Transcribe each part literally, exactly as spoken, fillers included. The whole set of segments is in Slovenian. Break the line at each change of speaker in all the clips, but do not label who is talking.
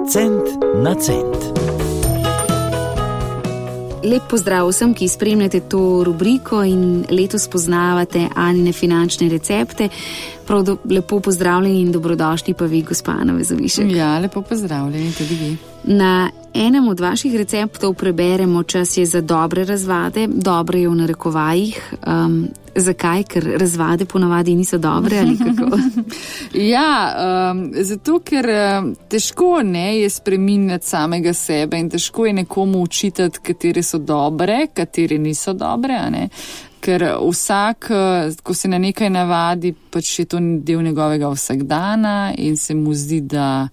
Cent na cent.
Lep pozdrav vsem, ki spremljate to rubriko in letos poznavate Anine finančne recepte. Prav do, lepo pozdravljeni in dobrodošli pa vi, gospa Ana Vezovišek.
Ja, lepo pozdravljeni tudi vi.
Na enem od vaših receptov preberemo, čas je za dobre razvade, dobre je v narekovajih. Um, zakaj? Ker razvade ponavadi niso dobre ali kako?
ja, um, zato ker um, težko ne je spreminjati samega sebe in težko je nekomu učitati, katere so dobre, katere niso dobre, a ne? Ker vsak, ko se na nekaj navadi, pač je to del njegovega vsakdana in se mu zdi, da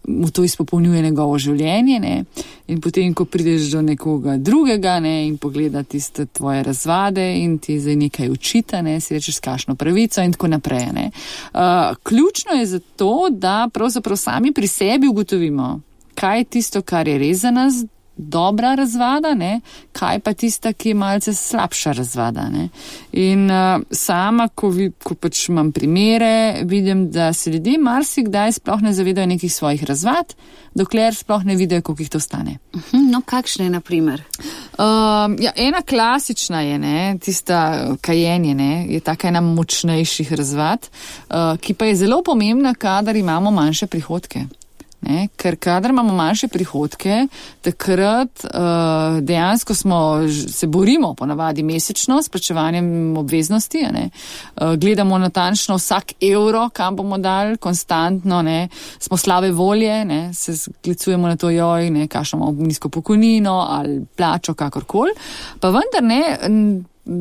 mu to izpopolnjuje njegovo življenje, ne? In potem, ko prideš do nekoga drugega, ne, in pogleda tiste tvoje razvade in ti zdaj nekaj učita, ne, si rečeš, s kakšno pravico in tako naprej, ne. Uh, ključno je zato, da pravzaprav sami pri sebi ugotovimo, kaj je tisto, kar je res za nas dobra razvada, ne, kaj pa tista, ki je malce slabša razvada, ne. In uh, sama, ko, vi, ko pač imam primere, vidim, da se ljudje marsikdaj sploh ne zavedajo nekih svojih razvad, dokler sploh ne vidijo, koliko jih to stane.
No, kakšne je na primer?
Um, ja, ena klasična je, ne, tista kajenje, ne, je taka ena močnejših razvad, uh, ki pa je zelo pomembna, kadar imamo manjše prihodke. Ne, ker kadar imamo manjše prihodke, takrat uh, dejansko smo, se borimo ponavadi mesečno s plačevanjem obveznosti, ne, uh, gledamo natančno vsak evro, kam bomo dali, konstantno, ne, smo slabe volje, ne, se sklicujemo na to, joj, ne, kakšno imamo nizko pokojnino ali plačo, kakorkoli, pa vendar ne,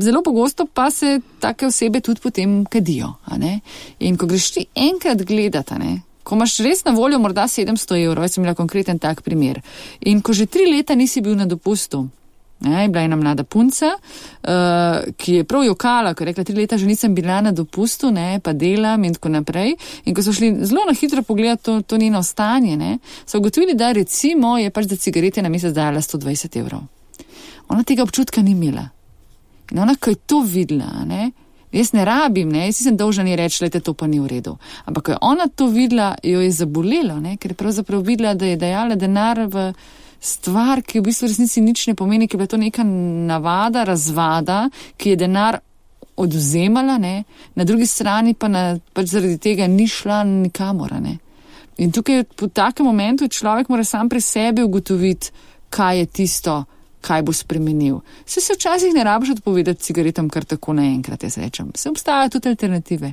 zelo pogosto pa se take osebe tudi potem kadijo, a ne, in ko greš ti enkrat gledati, ne, ko imaš res na voljo morda sedemsto evrov, jaz sem imela konkreten tak primer. In ko že tri leta nisi bil na dopustu, ne, bila ena mlada punca, uh, ki je prav jokala, ko je rekla, tri leta že nisem bila na dopustu, ne, pa delam in tako naprej. In ko so šli zelo na hitro pogledati to, to njeno stanje, ne, so ugotovili, da recimo je pač za cigarete na mesec dajala sto dvajset evrov. Ona tega občutka ni imela. In ona, ko je to videla, ne, jaz ne rabim, ne, jaz sem dolžna ni reči, lejte, to pa ni v redu. Ampak, ko je ona to videla, jo je zabolelo, ne, ker je pravzaprav videla, da je dajala denar v stvar, ki v bistvu resnici nič ne pomeni, ki je bila to neka navada, razvada, ki je denar odvzemala, ne, na drugi strani pa na, pač zaradi tega ni šla nikamor, ne. In tukaj po takem momentu človek mora sam pri sebi ugotoviti, kaj je tisto, kaj bo spremenil. Se se včasih ne rabiš odpovedati cigaretam kar tako naenkrat, jaz rečem. Se obstajajo tudi alternative.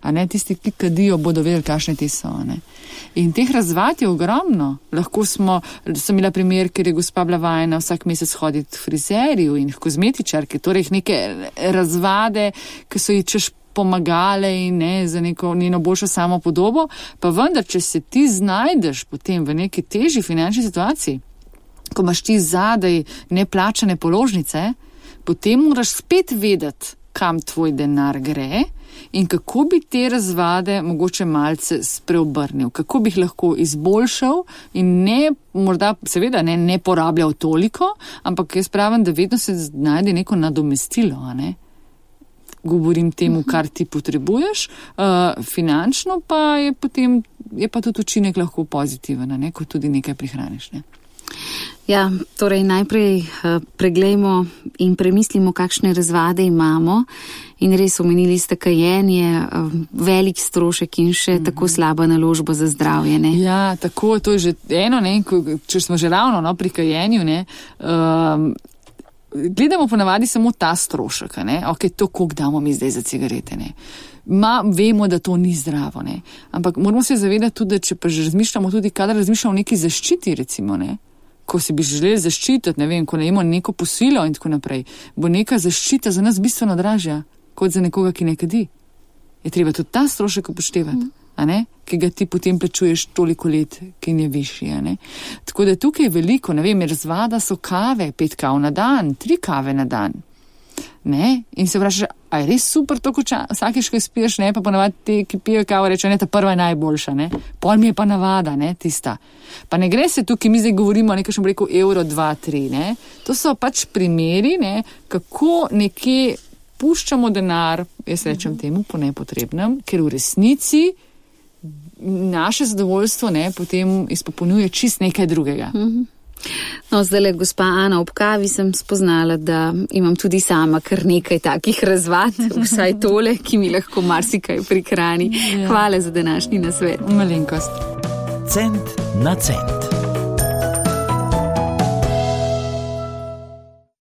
A ne, tisti, ki kadijo, bodo vedeli, kakšne te so, ne. In teh razvad je ogromno. Lahko smo, sem imela primer, ker je gospa bila vajena vsak mesec hoditi k frizerju in k kozmetičarki, torej neke razvade, ki so ji češ pomagale in ne, za neko njeno boljšo samopodobo, pa vendar, če se ti znajdeš potem v neki težji finančni situaciji, ko imaš ti zadaj neplačane položnice, potem moraš spet vedeti, kam tvoj denar gre in kako bi te razvade mogoče malce spreobrnil, kako bi jih lahko izboljšal in ne, morda seveda ne, ne porabljal toliko, ampak jaz pravim, da vedno se najde neko nadomestilo, a ne? Govorim temu, kar ti potrebuješ, uh, finančno pa je potem, je pa tudi učinek lahko pozitiven, a ne, ko tudi nekaj prihraniš, ne?
Ja, torej najprej uh, preglejmo in premislimo, kakšne razvade imamo in res omenili ste kajenje, uh, velik strošek in še mm-hmm. tako slaba naložba za zdravje, ne?
Ja, tako, to je že eno, ne, ko, če smo že ravno, no, pri kajenju, ne, um, gledamo ponavadi samo ta strošek, ne, ok, to, koliko damo mi zdaj za cigarete, ne. Ma, vemo, da to ni zdravo, ne. Ampak moramo se zavedati tudi, da če pa že razmišljamo tudi, kadar razmišljamo o neki zaščiti, recimo, ne, ko si bi želeli zaščititi, ne vem, ko najemo neko posilo in tako naprej, bo neka zaščita za nas bistveno dražja, kot za nekoga, ki ne kadi. Je treba tudi ta strošek upoštevati, mm. a ne, ki ga ti potem plačuješ toliko let, ki je višji, a ne. Tako da tukaj je veliko, ne vem, razvada so kave, pet kav na dan, tri kave na dan. Ne? In se vprašaš, a je res super to, ko vsakiš, ko spiješ, ne, pa ponavadi ti, ki pijo kavo, reče, ne, ta prva je najboljša, ne, pol mi je pa navada, ne, tista. Pa ne gre se tukaj, mi zdaj govorimo o nekaj, še bom rekel, evro, dva, tri, ne, to so pač primeri, ne, kako nekje puščamo denar, jaz rečem temu, po nepotrebnem, ker v resnici naše zadovoljstvo ne, potem izpopolnjuje čist nekaj drugega.
Mm-hmm. No, zdaj, gospa Ana, ob kavi sem spoznala, da imam tudi sama kar nekaj takih razvad, vsaj tole, ki mi lahko marsikaj prihrani. Ja. Hvala za današnji nasvet.
Malenkost.
Cent na cent.